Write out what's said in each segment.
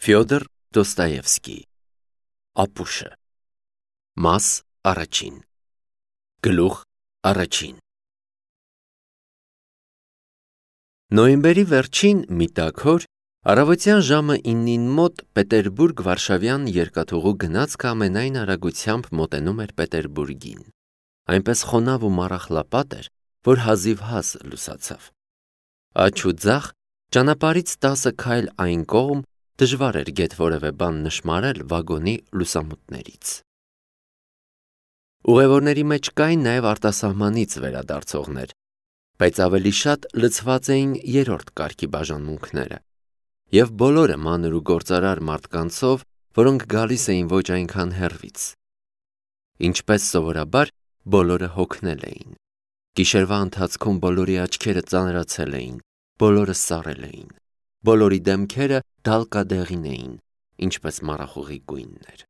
Ֆյոդոր Դոստոևսկի Ապուշը Մաս առաջին Գլուխ առաջին Նոյեմբերի վերջին մի տաքոր առավոտյան ժամը 9-ին մոտ Պետերբուրգ-Վարշավյան երկաթուղու գնացքը ամենայն արագությամբ մոտենում էր Պետերբուրգին, այնպես խոնավ ու մառախլապատ էր, որ հազիվ հաս լուսացավ։ Աջ ու ձախ ճանապարհից 10 քայլ այն կողմ դժվար էր գեթ որևէ բան նշմարել վագոնի լուսամուտներից։ Ուղևորների մեջ կային նաև արտասահմանից վերադարձողներ, բայց ավելի շատ լցված էին երրորդ կարգի բաժանմունքները, և բոլորը մանր ու գործարար մարդկանցով, որոնք գալիս էին ոչ այնքան հեռվից։ Ինչպես սովորաբար, բոլորը հոգնել էին։ Գիշերվա ընթացքում բոլորի աչքերը ծանրացել էին, բոլորը սառել էին, բոլորի դեմքերը դալկադեղին էին, ինչպես մառախուղի գույններ։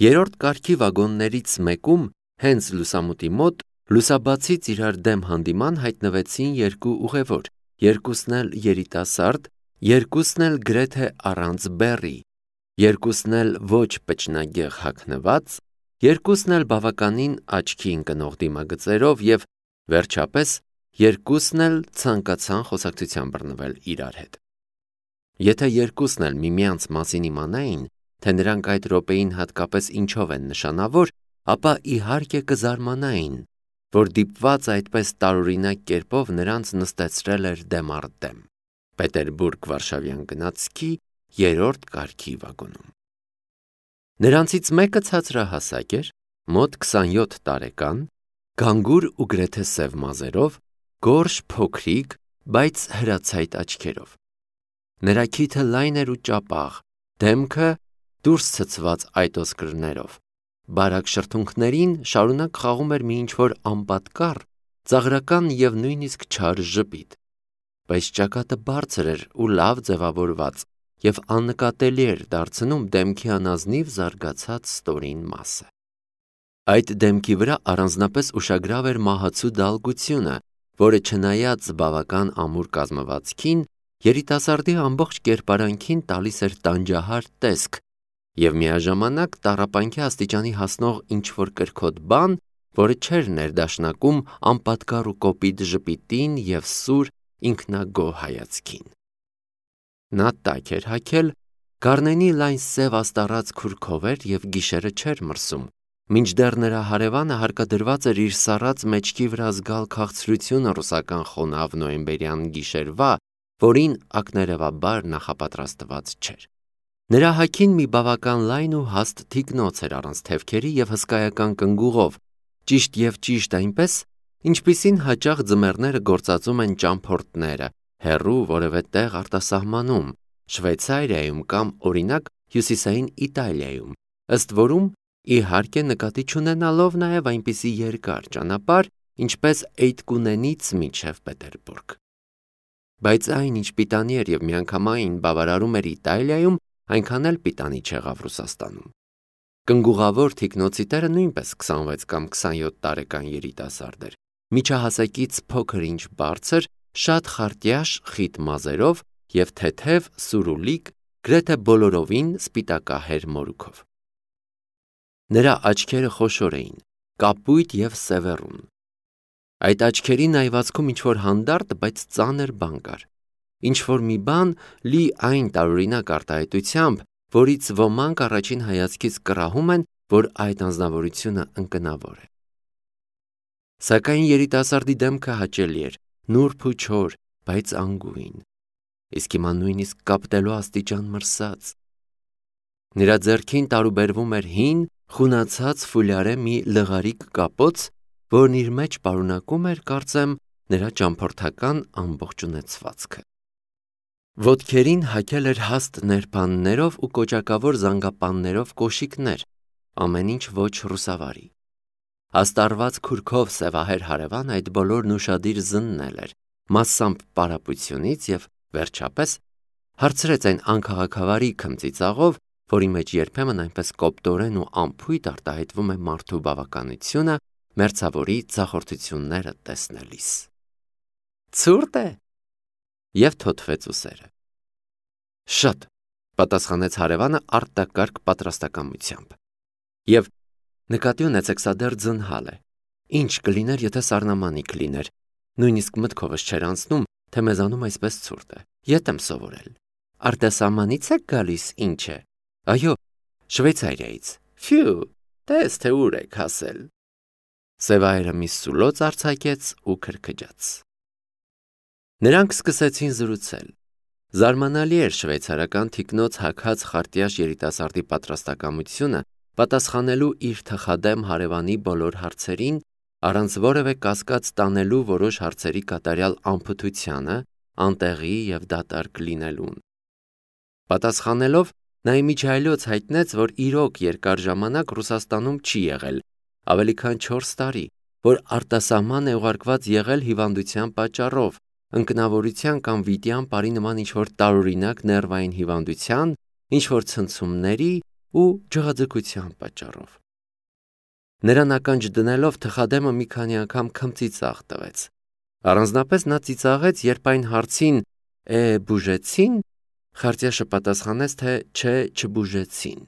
Երրորդ կարգի վագոններից մեկում, հենց լուսամուտի մոտ, լուսաբացից իրար դեմ հանդիման հայտնվեցին երկու ուղևոր, երկուսն էլ երիտասարդ, երկուսն էլ գրեթե առանց բեռի, երկուսն էլ ոչ պճնագեղ հագնված, երկուսն էլ բավականին աչքի ընկնող դիմագծերով և, վերջապես, երկուսն էլ ցանկացան խոսակցության բռնվել իրար հետ։ Եթե երկուսն էլ միմյանց մասին իմանային, թե նրանք այդ րոպեին հատկապես ինչով են նշանավոր, ապա իհարկե կզարմանային, որ դիպված այդպես տարօրինակ կերպով նրանց նստեցրել էր դեմ առ դեմ Պետերբուրգ-Վարշավյան գնացքի երրորդ կարգի վագոնում։ Նրանցից մեկը ցածրահասակ էր, մոտ 27 տարեկան, գանգուր ու գրեթե սև մազերով, գորշ փոքրիկ, բայց հրացայտ աչքերով։ Նրա քիթը լայն էր ու ճապաղ, դեմքը դուրս ցցված այտոսկրներով, բարակ շրթունքներին շարունակ խաղում էր մի ինչ-որ անպատկառ, ծաղրական և նույնիսկ չար ժպիտ, բայց ճակատը բարձր էր ու լավ ձևավորված և աննկատելի էր դարձնում դեմքի անազնիվ զարգացած ստորին մասը։ Այդ դեմքի վրա առանձնապես ուշագրավ էր մահացու դալգությունը, որը չնայած բավական ամուր կազմվածքին, երիտասարդի ամբողջ կերպարանքին տալիս էր տանջահար տեսք և միաժամանակ տառապանքի աստիճանի հասնող ինչ-որ կրքոտ բան, որը չէր ներդաշնակում անպատկառ ու կոպիտ ժպիտին և սուր, ինքնագոհ հայացքին։ Նա տաք էր հագել, գառնենի լայն սև աստառած քուրքով էր և գիշերը չէր մրսում, մինչդեռ նրա հարևանը հարկադրված էր իր սառած մեջքի վրա զգալ քաղցրությունը ռուսական խոնավ նոյեմբերյան գիշերվա, որին ակներևաբար նախապատրաստված չէր։ Նրա հագին մի բավական լայն ու հաստ թիկնոց էր առանց թևքերի և հսկայական կնգուղով, ճիշտ և ճիշտ այնպես, ինչպիսին հաճախ ձմեռները գործածում են ճամփորդները հեռու որևէ տեղ արտասահմանում, Շվեյցարիայում կամ, օրինակ, Հյուսիսային Իտալիայում, ըստ որում, իհարկե, նկատի չունենալով նաև այնպիսի երկար ճանապարհ, ինչպես Էյթկունենից մինչև Պետերբուրգ։ Բայց այն, ինչ պիտանի էր և միանգամայն բավարարում էր Իտալիայում, այնքան էլ պիտանի չեղավ Ռուսաստանում։ Կնգուղավոր թիկնոցի տերը նույնպես 26 կամ 27 տարեկան երիտասարդ էր, միջահասակից փոքր ինչ բարձր, շատ խարտյաշ խիտ մազերով և թեթև, սուրուլիկ, գրեթե բոլորովին սպիտակահեր մորուքով։ Նրա աչքերը խոշոր էին, կապույտ և սևեռուն։ Այդ աչքերի նայվածքում ինչ-որ հանդարտ, բայց ծանր բան կար, ինչ-որ մի բան լի այն տարօրինակ արտահայտությամբ, որից ոմանք առաջին հայացքից կռահում են, որ այդ անձնավորությունը ընկնավոր է։ Սակայն երիտասարդի դեմքը հաճելի էր, նուրբ ու չոր, բայց անգույն, իսկ հիմա նույնիսկ կապտելու աստիճան մրսած։ Նրա ձեռքին տարուբերվում էր հին, խունացած ֆուլյարե մի լղարիկ կապոց, որն իր մեջ պարունակում էր, կարծեմ, նրա ճամփորդական ամբողջ ունեցվածքը։ Ոտքերին հագել էր հաստ ներբաններով ու կոճակավոր զանգապաններով կոշիկներ, ամեն ինչ ոչ ռուսավարի։ Աստառված քուրքով սևահեր հարևան այդ բոլորն ուշադիր զննել էր, մասամբ պարապությունից և, վերջապես, հարցրեց այն անքաղաքավարի քմծիծաղով, որի մեջ երբեմն այնպես կոպտորեն ու անփույթ արտահայտվում է մարդու բավականությունը մերձավորի ձախորդությունները տեսնելիս։ Ցուրտ է, և թոթվեց ուսերը։ Շատ, պատասխանեց հարևանը արտակարգ պատրաստակամությամբ։ Եվ նկատի ունեցեք, սա դեռ ձնհալ է։ Ինչ կլիներ, եթե սառնամանիք լիներ։ Նույնիսկ մտքովս չէր անցնում, թե մեզանում այսպես ցուրտ է։ Ետ եմ սովորել։ Արտասահմանից եք գալիս, ինչ է։ Այո, Շվեյցարիայից։ Ֆյու, տես թե ուր եք հասել։ Սևայրը մի սուլոց արձակեց ու քրքջաց։ Նրանք սկսեցին զրուցել։ Զարմանալի էր շվեյցարական թիկնոց հագած խարտյաշ երիտասարդի պատրաստակամությունը պատասխանելու իր թխադեմ հարևանի բոլոր հարցերին, առանց որևէ կասկած տանելու որոշ հարցերի կատարյալ անփութությանը, անտեղի և դատարկ լինելուն։ Պատասխանելով, նա իմիջիայլոց հայտնեց, որ իրոք երկար ժամանակ Ռուսաստանում չի եղել, ավելի քան 4 տարի, որ արտասահման է ուղարկված եղել հիվանդության պատճառով, ընկնավորության կամ վիտյան բարի նման ինչ-որ տարօրինակ ներվային հիվանդության, ինչ-որ ցնցումների ու ջղաձգության պատճառով։ Նրան ականջ դնելով թխադեմը մի քանի անգամ քմծիծաղ տվեց։ Առանձնապես նա ծիծաղեց, երբ այն հարցին բուժեցին, խարտյաշը պատասխանեց, թե չէ, չբուժեցին։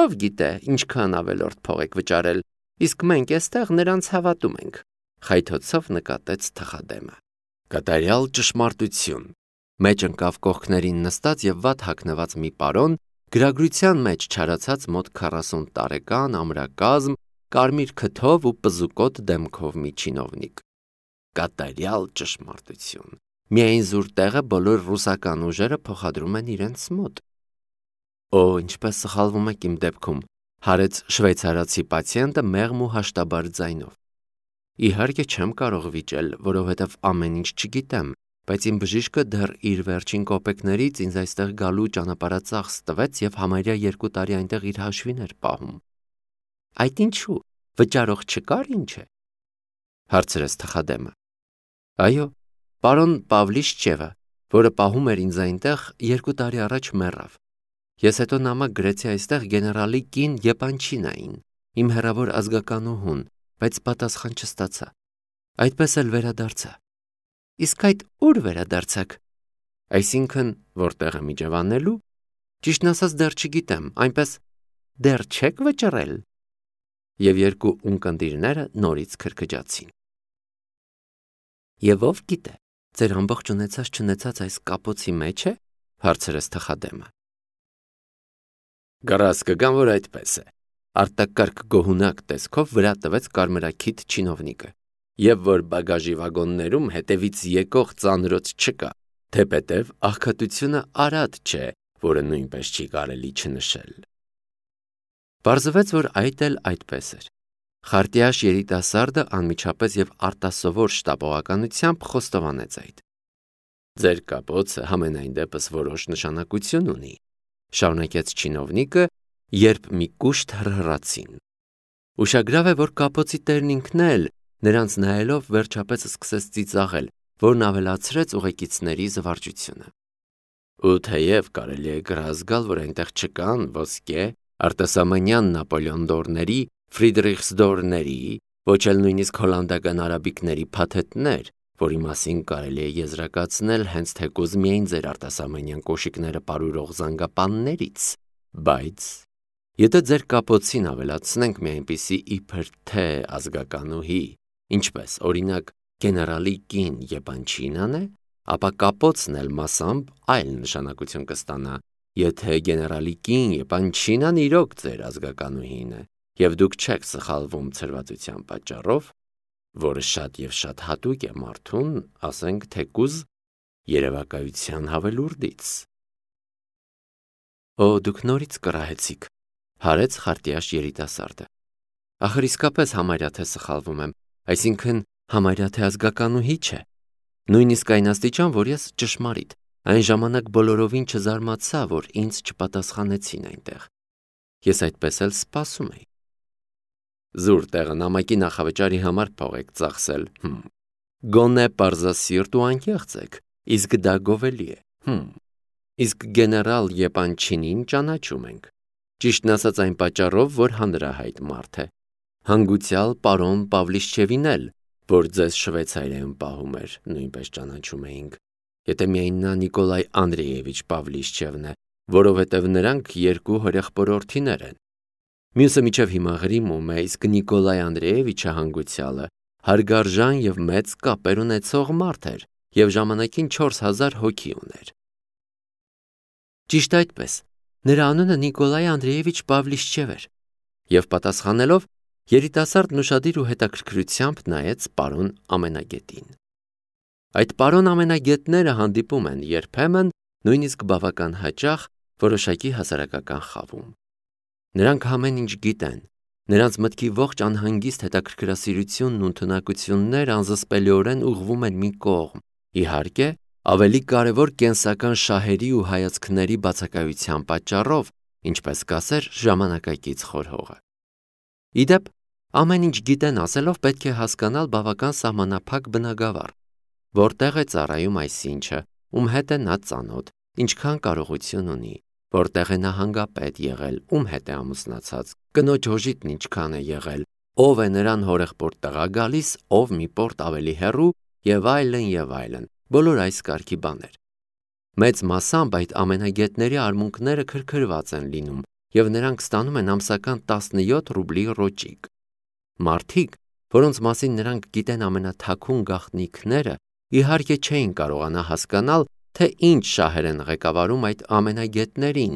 Ով գիտե, ինչքան ավելորդ փող եք վճարել, իսկ մենք էստեղ նրանց հավատում ենք, խայթոցով նկատեց թխադեմը։ Կատարյալ ճշմարտություն։ Մեջ ընկավ կողքներին նստած և վատ հագնված մի պարոն, գրագրության մեջ չարացած մոտ 40 տարեկան ամրակազմ, կարմիր քթով ու պզուկոտ դեմքով մի չինովնիկ։ Կատարյալ ճշմարտություն։ Միայն զուր տեղը բոլոր ռուսական ուժերը փոխադրում են իրենց մոտ։ Ինչպես սխալվում եք իմ դեպքում, հարեց շվեյցարացի պացիենտը մեղմ ու հաշտաբար ձայնով։ Իհարկե չեմ կարող վիճել, որովհետև ամեն ինչ չգիտեմ, բայց իմ բժիշկը դեռ իր վերջին կոպեկներից ինձ այստեղ գալու ճանապարհածախս տվեց և համարյա 2 տարի այնտեղ իր հաշվին էր պահում։ Այդ ինչու, վճարող չկար, ինչ է, հարցրեց թխադեմը։ Այո, պարոն Պավլիշչևը, որը պահում էր ինձ այնտեղ, 2 տարի առաջ մեռավ։ Ես հետո նամակ գրեցի այստեղ գեներալի կին Եպանչինային, իմ հեռավոր ազգականուհուն, բայց պատասխան չստացա։ Այդպես էլ վերադարձա։ Իսկ այդ ուր վերադարձաք։ Այսինքն, որտեղ եմ իջևանելու, ճիշտն ասած դեռ չգիտեմ, այնպես դեռ չեք վճռել։ Եվ երկու ունկնդիրները նորից քրքջացին։ Եվ ով գիտե, ձեր ամբողջ ունեցած այս կապոցի մեջ է, հարցրեց թխադեմը։ Գարազ կգամ, որ այդպես է, արտակարգ գոհունակ տեսքով վրա տվեց կարմրաքիթ չինովնիկը, և որ բագաժի վագոններում հետևից եկող ծանրոց չկա, թեպետև աղքատությունը արատ չէ, որը նույնպես չի կարելի չնշել։ Պարզվեց, որ այդ էլ այդպես էր։ Խարտյաշ երիտասարդը անմիջապես և արտասովոր շտապողականությամբ խոստովանեց այդ։ Ձեր կապոցը համենայն դեպս որոշ նշանակություն ունի, շարունակեց չինովնիկը, երբ մի կուշտ հռհռացին։ Ուշագրավ է, որ կապոցի տերն ինքն էլ, նրանց նայելով, վերջապես սկսեց ծիծաղել, որն ավելացրեց ուղեկիցների զվարճությունը։ Ու թեև կարելի է գրազգալ, որ այնտեղ չկան ոսկե, արտասահմանյան նապոլեոնդորների, ֆրիդրիխսդորների, ոչ էլ նույնիսկ հոլանդական արաբիկների փաթեթներ, որի մասին կարելի է եզրակացնել հենց թեկուզ միայն ձեր արտասահմանյան կոշիկները պարուրող զանգապաններից, բայց եթե ձեր կապոցին ավելացնենք մի այնպիսի իբր թե ազգականուհի, ինչպես օրինակ գեներալի կին Եպանչինան է, ապա կապոցն էլ մասամբ այլ նշանակություն կստանա, եթե գեներալի կին Եպանչինան իրոք ձեր ազգականուհին է, և դուք չեք սխալվում ցրվածության պատճառով, որը շատ և շատ հատուկ է մարդուն, ասենք թեկուզ երևակայության հավելուրդից։ Դուք նորից կռահեցիք, հարեց խարտյաշ երիտասարդը։ Ախր իսկապես համարյա թե սխալվում եմ, այսինքն համարյա թե ազգականուհի չէ։ Նույնիսկ այն աստիճան, որ ես ճշմարիտ, այն ժամանակ բոլորովին չզարմացա, որ ինձ չպատասխանեցին այնտեղ։ Ես այդպես էլ սպասում էի։ Զուր տեղը նամակի նախավճարի համար փող եք ծախսել, Գոնե պարզասիրտ ու անկեղծ եք, իսկ դա գովելի է, Իսկ գեներալ Եպանչինին ճանաչում ենք, ճիշտն ասած այն պատճառով, որ հանրահայտ մարդ է, հանգուցյալ պարոն Պավլիշչևին էլ, որ ձեզ Շվեյցարիայում պահում էր, նույնպես ճանաչում էինք, եթե միայն նա Նիկոլայ Անդրեևիչ Պավլիշչևն է, որովհետև նրանք երկու հորեղբորորդիներ են։ Մյուսը մինչև հիմա Ղրիմում է, իսկ Նիկոլայ Անդրեևիչը հանգուցյալը հարգարժան եւ մեծ կապեր ունեցող մարդ էր եւ ժամանակին 4000 հոգի ուներ։ Ճիշտ այդպես, նրա անունը Նիկոլայ Անդրեևիչ Պավլիշչև էր, եւ պատասխանելով երիտասարդն ուշադիր ու հետաքրքրությամբ նայեց պարոն Ամենագետին։ Այդ պարոն Ամենագետները հանդիպում են երբեմն, նույնիսկ բավական հաճախ որոշակի հասարակական խավում։ Նրանք ամեն ինչ գիտեն, նրանց մտքի ողջ անհանգիստ հետաքրքրասիրությունն ու ընդունակություններ անզսպելիորեն ուղղվում են մի կողմ, իհարկե, ավելի կարևոր կենսական շահերի ու հայացքների բացակայության պատճառով, ինչպես կասեր ժամանակակից խորհողը։ Իդեպ, ամեն ինչ գիտեն ասելով պետք է հասկանալ բավական սահմանափակ բնագավառ, որտեղ է ծառայում այսինչը, ում հետ է նա ծանոթ, ինչքան կարողություն ունի, որտեղ է նա հանգապետ եղել, ում հետ է ամուսնացած, կնոջ հոժիտն ինչքան է եղել, ով է նրան հորեղբորդ տղա գալիս, ով մի պորտ ավելի հեռու եւ այլն, բոլոր այս կարգի բաներ։ Մեծ մասամբ այդ ամենագետների արմունկները քրքրված են լինում եւ նրանք ստանում են ամսական 17 ռուբլի ռոճիկ։ Մարդիկ, որոնց մասին նրանք գիտեն ամենաթաքուն գաղտնիքները, իհարկե չէին կարողանա հասկանալ, թե ինչ շահեր են ղեկավարում այդ ամենագետներին,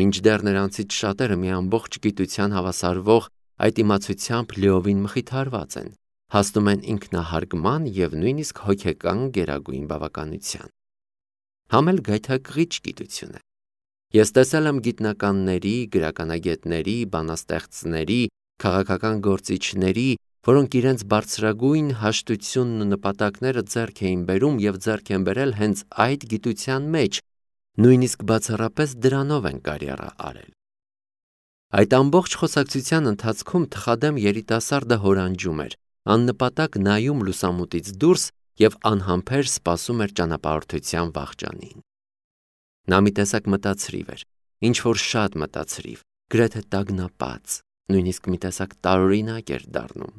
մինչդեռ նրանցից շատերը մի ամբողջ գիտության հավասարվող այդ իմացությամբ լիովին մխիթարված են, հասնում են ինքնահարգման եւ նույնիսկ հոգեկան գերագույն բավականության։ Համել գայթակղիչ գիտություն է։ Ես տեսել եմ գիտնականների, գրականագետների, բանաստեղծների, քաղաքական գործիչների, որոնք իրենց բարձրագույն հաշտությունն ու նպատակները ձեռք էին բերում եւ ձեռք են բերել հենց այդ գիտության մեջ, նույնիսկ բացառապես դրանով են կարիերա արել։ Այդ ամբողջ խոսակցության ընթացքում թխադեմ երիտասարդը հորանջում էր, աննպատակ նայում լուսամուտից դուրս եւ անհամբեր սպասում էր ճանապարհորդության վախճանին։ Նա մի տեսակ մտածրիվ էր, ինչ որ շատ մտածրիվ, գրեթե տագնապած, նույնիսկ մի տեսակ տարօրինակ էր դառնում։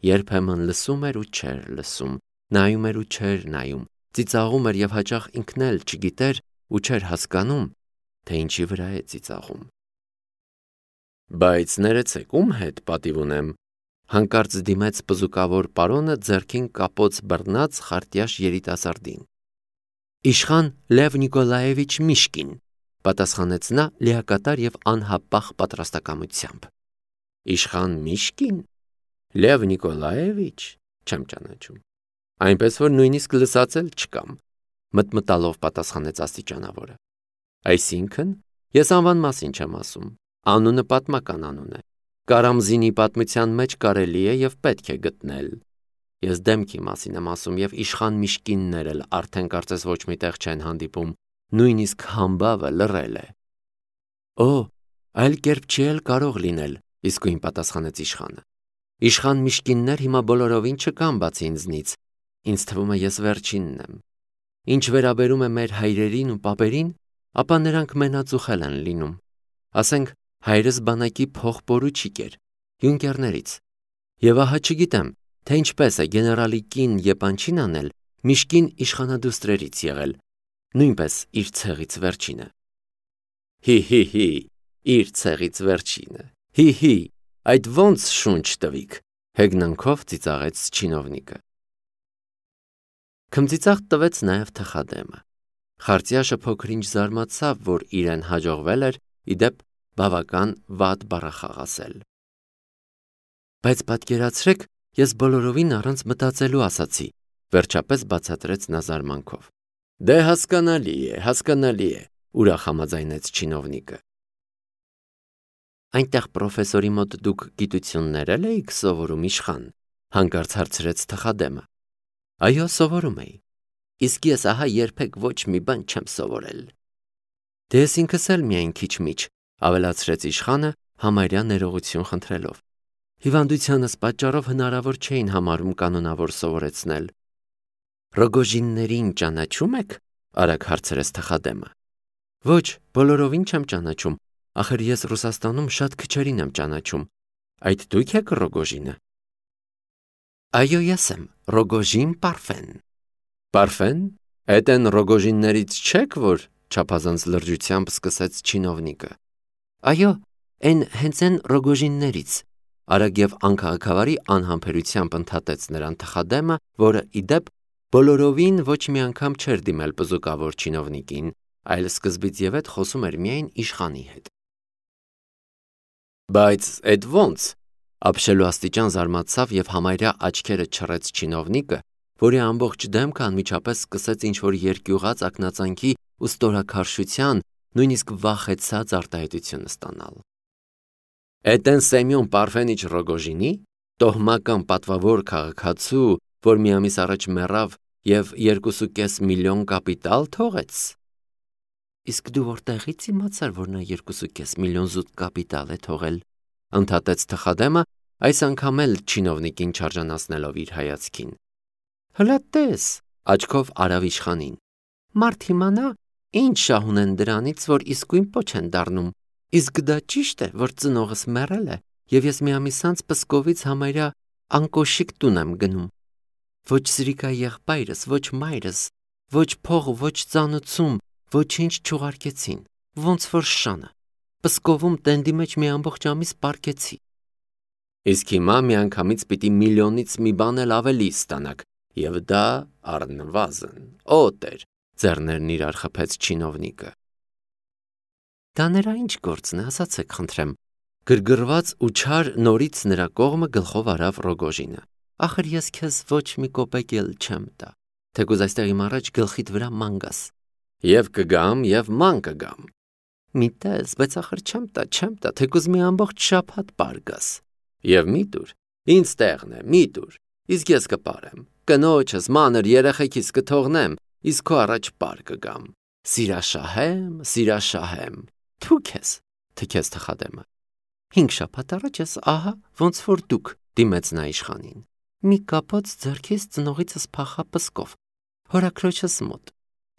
Երբեմն լսում էր ու չէր լսում, նայում էր ու չէր նայում, ծիծաղում էր եւ հաճախ ինքն էլ չգիտեր ու չէր հասկանում, թե ինչի վրա է ծիծաղում։ Բայց ներեցեք, ում հետ պատիվ ունեմ, հանկարծ դիմեց պզուկավոր պարոնը ձեռքին կապոց բռնած խարտյաշ երիտասարդին։ Իշխան Լև Նիկոլաևիչ Միշկին, պատասխանեց նա լիակատար եւ անհապաղ պատրաստակամությամբ։ Իշխան Միշկին, Լև Նիկոլաևիչ, չեմ ճանաչում։ Այնպես որ նույնիսկ լսած էլ չկամ, մտմտալով պատասխանեց աստիճանավորը։ Այսինքն, ես անվան մասին չեմ ասում, անունը պատմական անուն է։ Կարամզինի պատմության մեջ կարելի է եւ պետք է գտնել։ Ես դեմքի մասին եմ ասում եւ իշխան Միշկիններ էլ արդեն կարծես ոչ միտեղ չեն հանդիպում, նույնիսկ համբավը լռել է։ Օ, այլ կերպ չի էլ կարող լինել, իսկույն պատասխանեց իշխանը։ Իշխան Միշկիններ հիմա բոլորովին չկան բացի ինձնից, ինձ թվում է ես վերջինն եմ։ Ինչ վերաբերում է մեր հայրերին ու պապերին, ապա նրանք մենածուխել են լինում։ Ասենք, հայրս բանակի փողպորուչիկ էր, յունկերներից։ Եվ ահա չգիտեմ, թե ինչպես է գեներալի կին Եպանչին անել, Միշկին իշխանադուստրերից եղել, նույնպես իր ցեղից վերջինը։ Հի, իր ցեղից վերջինը։ Հի, այդ ոնց շունչ տվիք, հեգնանքով ծիծաղեց չինովնիկը։ Քմծիծաղ տվեց նաև թխադեմը։ Խարտյաշը փոքր-ինչ զարմացավ, որ իրեն հաջողվել էր իդեպ բավական վատ բառախաղ ասել։ Բայց պատկերացրեք, ես բոլորովին առանց մտածելու ասացի, վերջապես բացատրեց նա զարմանքով։ Դե հասկանալի է, ուրախ համաձայնեց չինովնիկը։ Այնտեղ պրոֆեսորի մոտ դուք գիտություններ եք սովորում իշխան, հանկարծ հարցրեց թխադեմը։ Այո, սովորում էի։ Իսկ ես ահա երբեք ոչ մի բան չեմ սովորել։ Դե ես ինքս էլ միայն քիչ-միչ, ավելացրեց իշխանը համարյա ներողություն խնդրելով։ Հիվանդությանս պատճառով հնարավոր չէին համարում կանոնավոր սովորեցնել։ Ռոգոժիններին ճանաչում եք? Արագ հարցրեց թխադեմը։ Ոչ, բոլորովին չեմ ճանաչում, ախր ես Ռուսաստանում շատ քչերին եմ ճանաչում։ Այդ դուք եք Ռոգոժինը։ Այո, ես եմ, Ռոգոժին Պարֆեն։ Պարֆեն? Էդ են Ռոգոժիններից չեք, որ չափազանց լրջությամբ սկսեց չինովնիկը։ Այո, հենց են Ռոգոժիններից, արագ եւ անքաղաքավարի անհամբերությամբ ընդհատեց նրան թխադեմը, որը ի դեպ բոլորովին ոչ մի անգամ չէր դիմել բզուկավոր չինովնիկին, այլ սկզբից եւ հետ խոսում էր միայն իշխանի հետ։ Բայց էդ ո՞նց, ապշելու աստիճան զարմացավ եւ համարյա աչքերը չռեց չինովնիկը, որի ամբողջ դեմքը անմիջապես սկսեց ինչ-որ երկյուղած ակնածանքի ու ստորաքարշության, նույնիսկ վախեցած արտահայտություն ստանալ։ Էդ են Սեմյոն Պարֆենիչ Ռոգոժինի, տոհմական պատվավոր քաղաքացու, որ մի ամիս առաջ մեռավ եւ 2.5 միլիոն կապիտալ թողեց։ Իսկ դու որտեղից իմացար, որ նա 2.5 միլիոն զուտ կապիտալ է թողել, ընդհատեց թխադեմը, այս անգամ էլ չինովնիկին չարժանացնելով իր հայացքին։ Հլա տես, աչքով արավ իշխանին։ Մարդ իմանա, ինչ շահ ունեն դրանից, որ իսկույն պոչ են դառնում, իսկ դա ճիշտ է, որ ծնողս մեռել է, եւ ես մի ամիս անց Պսկովից համարյա անկոշիկ տուն եմ գնում։ Ոչ սրիկա եղբայրս, ոչ մայրս, ոչ փող, ոչ ծանուցում, ոչինչ չուղարկեցին, ոնց որ շանը։ Պսկովում տենդի մեջ մի ամբողջ ամիս պարկեցի։ Իսկ հիմա միանգամից պիտի միլիոնից մի բան էլ ավելի ստանաք, եւ դա առնվազն օտ էր, ձեռներն իրար խփեց չինովնիկը։ Դա նրա ինչ գործն է, ասացեք խնդրեմ, գրգռված ու չար նորից նրա կողմը գլխով արավ Ռոգոժինը։ Ախր ես քեզ ոչ մի կոպեկ էլ չեմ տա, թեկուզ այստեղ իմ առաջ գլխիդ վրա ման գաս։ Եվ կգամ, եւ ման կգամ։ Մի տես, բայց ախր չեմ տա, թեկուզ մի ամբողջ շաբաթ պար գաս։ Եվ մի տուր, ինձ տեղն է, մի տուր, իսկ ես կպարեմ, կնոջս, մանր երեխեքիս կթողնեմ, իսկ քո առաջ պար կգամ։ Սիրաշահեմ, թու քեզ, թքեց թխադեմը։ 5 շաբաթ առաջ ես ահա, ոնց որ դուք, դիմեց նա իշխանին։ Մի կապոց ձեռքից ծնողիցս փախա Պսկով, հորաքրոջս մոտ,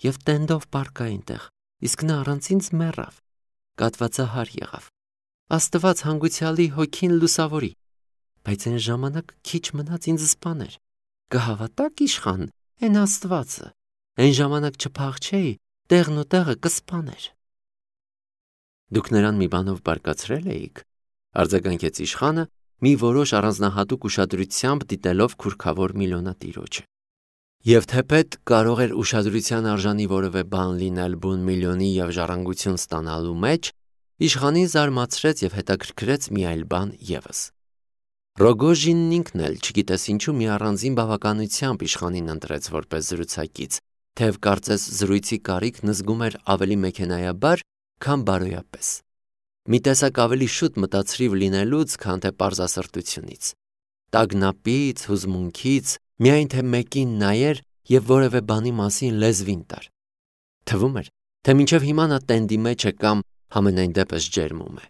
եւ տենդով պարկա այնտեղ, իսկ նա առանց ինձ մեռավ, կատվածահար եղավ։ Աստված հանգուցյալի հոգին լուսավորի, բայց այն ժամանակ քիչ մնաց ինձ սպաներ։ Կհավատաք իշխան, այն Աստվածը, այն ժամանակ չփախչեի, տեղն ու տեղը կսպաներ։ Դուք նրան մի բանով բարկացրել էիք, արձագանքեց իշխանը, մի որոշ առանձնահատուկ ուշադրությամբ դիտելով քուրքավոր միլիոնատիրոջը։ Եվ թեպետ կարող էր ուշադրության արժանի որևէ բան լինել բուն միլիոնի եւ ժառանգություն ստանալու մեջ, իշխանին զարմացրեց եւ հետաքրքրեց մի այլ բան եւս։ Ռոգոժինն ինքն էլ չգիտես ինչու մի առանձին բավականությամբ իշխանին ընտրեց որպես զրուցակից, թեև կարծես զրույցի կարիքն զգում էր ավելի մեքենայաբար, քան բարոյապես։ Մի տեսակ ավելի շուտ մտածրիվ լինելուց, քան թե պարզասրտությունից։ Տագնապից, հուզմունքից, միայն թե մեկին նայեր եւ որևէ բանի մասին լեզվին տար։ Թվում էր, թե մինչև հիմա նա տենդի մեջ է կամ համենայն դեպս ջերմում է։